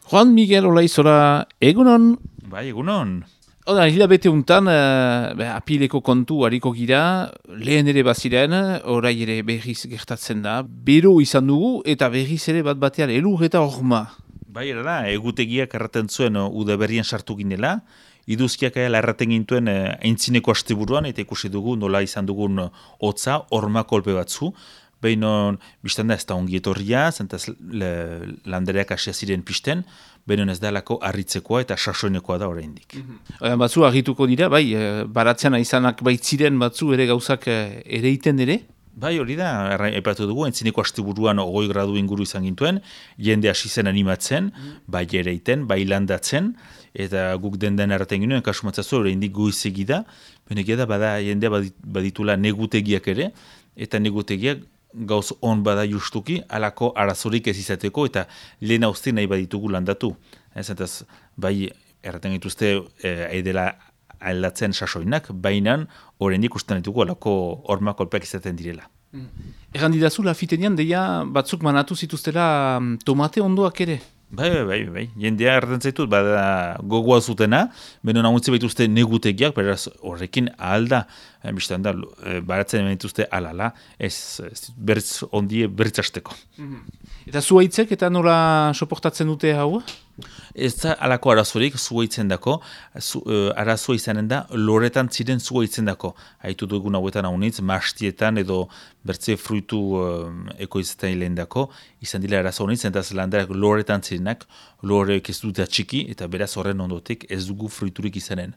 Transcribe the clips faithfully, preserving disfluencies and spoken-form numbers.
Juan Miguel Olaizora, egunon? Bai, egunon. Oda, hilabete untan, uh, apileko kontu hariko gira, lehen ere baziren, orai ere berriz gertatzen da, bero izan dugu eta berriz ere bat batean elur eta horma. Bai, erara, egutegiak erraten zuen uh, udaberrian sartu ginela, iduzkiak ela erraten gintuen uh, aintzineko asteburuan, eta ikusi dugu nola izan dugun uh, hotza, horma kolpe batzu, behinon, biztan da ez da ongi etorria, zentaz landereak asia ziren pisten, behinon ez da lako harritzekoa eta sasoinekoa da oraindik. Mm-hmm. Batzu argituko dira, bai, baratzean izanak baitziren batzu ere gauzak ere iten ere? Bai, hori da, epatu dugu, entzineko asteburuan ogoi gradu inguru izan gintuen, jende hasi zen animatzen, mm. bai ere iten, bai landatzen, eta guk den den erraten ginen, kasu matzazu, oraindik goizegi da, benegia da, bada jendea baditula negutegiak ere, eta negutegiak gauz on bada justuki, alako arazorik ez izateko, eta lehen hauzti nahi baditugu landatu. Ez, entaz, bai, erraten dituzte, eh, edela aldatzen sasoinak, bainan, oraindik usten ditugu alako horma kolpeak izaten direla. Mm. Erran didazu, lafitenean, deia batzuk manatu zituztela tomate ondoak ere? Bai, bai, bai, bai. Jendea erraten zaitut, bada gogoa zutena, beno naguntze baituzte negutegiak, beraz horrekin ahalda, eh, biztan da, eh, baratzen baituzte alala, ez, ez berriz ondie berriz hasteko. Mm-hmm. Eta zuhaitzek eta nola soportatzen dute hau? Ez da alako arazorik zuhaitzen dako, zu, uh, arazoa izanen da, loretan ziren zuhaitzen dako. Haitu dugun hauetan haunitz, mastietan edo bertze fruitu uh, ekoizetan hilen dako, izan dira arazoa honitz, entaz landarak loretan zirenak, loreek ez dute atxiki, eta beraz horren ondotik ez dugu fruiturik izanen.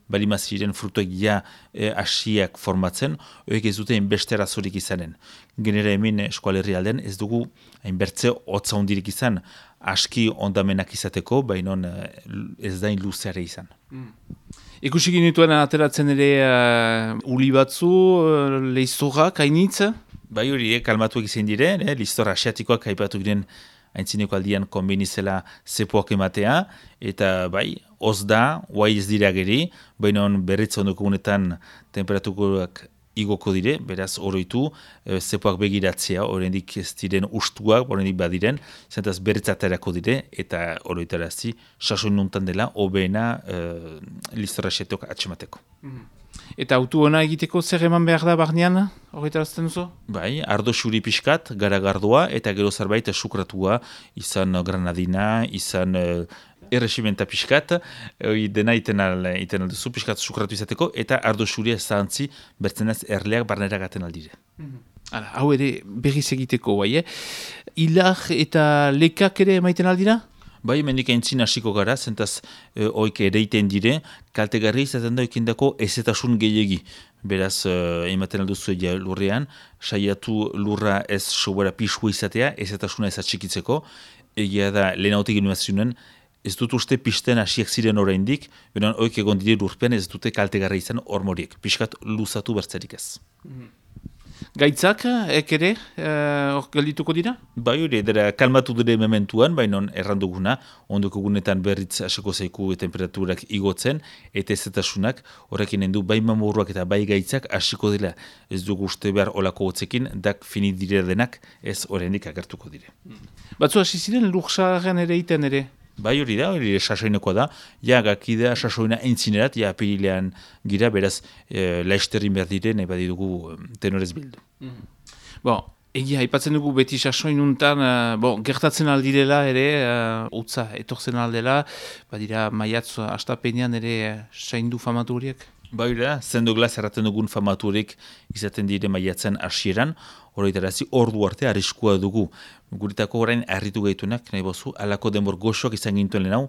Balima ziren frutuak ja e, asiak formatzen, horiek ez dute hainbeste arazorik izanen. Genera hemen eskualerri alden ez dugu hainbertze hotza hondirik izan, aski ondamenak izateko, baina ez dain luzeare izan. Mm. Ikusi ginituen ateratzen ere uh, uli batzu, uh, leiztorrak, hainitz? Bai hori, eh, kalmatuak izan diren, eh, leiztor asiatikoak haipatu giren haintzineko aldian konbenizela zepoak ematea, eta bai, hoz da, guai ez dira geri, baina berritza ondoko gunetan temperaturak igoko dire, beraz oroitu, e, zepoak begiratzea, oraindik ez diren ustuak, oraindik badiren, zentaz berritzaterako dire, eta oroitarazi, sasoin nuntan dela, hobeena e, listorra xetok atxemateko. Mm. Eta autu ona egiteko zer eman behar da barnean, horretarazten duzu? Bai, ardo xuri pixkat, garagardoa, eta gero zerbait sukratua, izan granadina, izan uh, erresimenta pixkat, hori dena iten alduzu, pixkat sukratu izateko, eta ardo xuria zahantzi, bertzenaz erleak barnera gaten aldire. Mm-hmm. Hala, hau ere berriz egiteko, bai, eh? Ilar eta lekak ere maiten aldira? Bai, mendik aintzin hasiko gara, zentaz e, oik ereiten dire, kaltegarri izaten da ikindako ezetasun gehiegi. Beraz, e, ematen alduzu egia lurrean, saiatu lurra ez sobera pixua izatea, ezetasuna ez atxikitzeko, egia da lehen hautik inumazionen, ez dut uste pisten hasiak ziren oraindik, benen oik egon dire lurpean ez dute kaltegarri izan hormoriek, pixkat luzatu bertzerik ez. Mm-hmm. Gaitzak, ek ere, hor uh, geldituko dira? Bai hori, edera kalmatu dure mementuan, baina erranduguna, ondoko gunetan berritz aseko zaiku temperaturak igotzen, eta ezetasunak, horrekin endu bai mamuruak eta bai gaitzak hasiko dira. Ez dugu uste behar olako hotzekin, dak fini dire denak, ez horrendik agertuko dire. Batzu hasi ziren lursaren ere iten ere? Bai hori da, hori sasoinekoa da, ja gakidea sasoina entzinerat, ja apirilean gira, beraz, e, laizterrin behar dire, nahi badidugu tenorez bildu. Mm. Bon, egia, aipatzen dugu beti sasoinuntan, uh, bon, gertatzen aldirela ere, uh, utza etortzen aldela, badira maiatz astapenean ere uh, saindu famatu horiek? Bai da, zendo glaz erraten dugun famaturik izaten dire maiatzen hasieran, horretarazi ordu arte arriskua dugu. Guritako orain harritu gaitunak, nahi bozu, alako denbor goxoak izan gintuen lehen hau,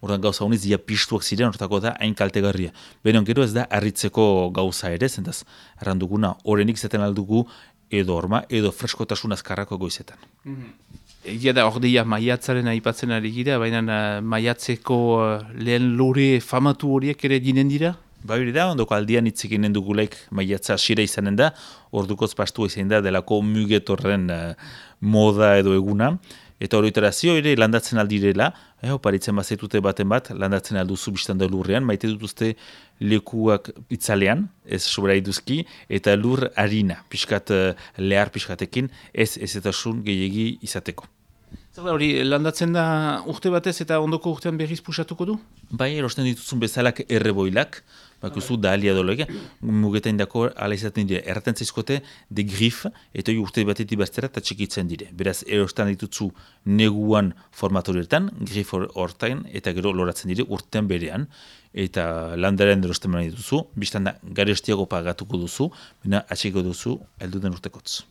orain gauza honiz dia pistuak ziren, horretako da hain kaltegarria. Benon gero ez da harritzeko gauza ere, zentaz, erranduguna, horrenik izaten aldugu edo orma, edo freskotasun azkarrako goizetan. Mm-hmm. Egia da, ordeia maiatzaren aipatzen ari gira, baina uh, maiatzeko uh, lehen lore famatu horiek ere dinen dira? Ba hori da, ondoko aldian itzekinen dugulaik maiatza asira izanen da, ordukoz pastua izan da, delako mugetorren uh, moda edo eguna, eta horretarazio ere landatzen aldirela, eh, oparitzen bazetute baten bat, landatzen alduzu biztan da lurrean, maite dutuzte lekuak itzalean, ez sobera iduzki, eta lur harina, pixkat uh, lehar pixkatekin, ez ezetasun gehiegi izateko. Hori, landatzen da urte batez eta ondoko urtean berriz pusatuko du? Bai, erosten dituzun bezalak erreboilak, bakuzu da alia dolega, mugetain dako ala izaten dire, erraten zaizkote de grif, eta urte batetik bastera eta txikitzen dire. Beraz, erostan dituzu neguan formatorietan, grif hortain, eta gero loratzen dire urtean berean, eta landaren erosten bera dituzu, biztan da garestiago pagatuko duzu, bina atxiko duzu elduden urtekotz.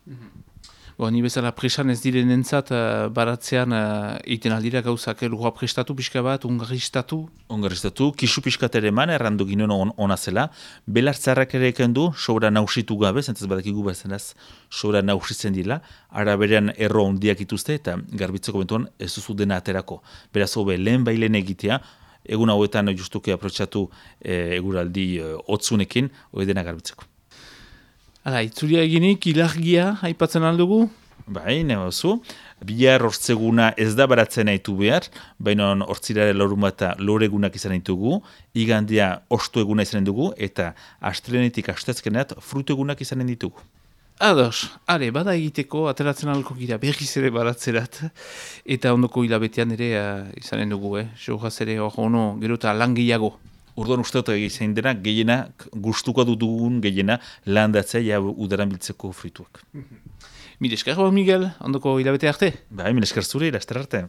Bo, ni bezala presan ez direnentzat uh, baratzean uh, iten aldira gauzak, lurra prestatu pixka bat, ungaristatu? Ungaristatu, kisu pixkat ere eman, errandu ginen on, ona zela, belartzarrak ere eken du, sobra nausitu gabe, zentaz badakigu bazenaz, sobra nausitzen dila, ara berean erro ondiak ituzte, eta garbitzeko bentuan ez duzu dena aterako. Beraz, hobe, lehen bailen egitea, egun hauetan justuke aprotxatu e, eguraldi e, otzunekin, hori dena garbitzeko. Hala, itzulia eginik, ilargia, aipatzen aldugu? Bai, nebazu. Bihar hortzeguna ez da baratzen haitu behar, baina hortzirare loruma eta loregunak izan ditugu, igandia ostu eguna izan dugu, eta astelenetik astezkeneat frutu egunak izan ditugu. Ados, are, bada egiteko, ateratzen alko gira berriz ere baratzerat, eta ondoko hilabetean ere uh, izanen dugu, eh? Jogaz ere hor ono, gero eta lan gehiago. Urduan uste dut egin dena, gehiena, gustuko dugun gehiena, landatzea ja udaran biltzeko frituak. Mil esker, Miguel, ondoko hilabete arte? Bai, mil esker zure, laster arte.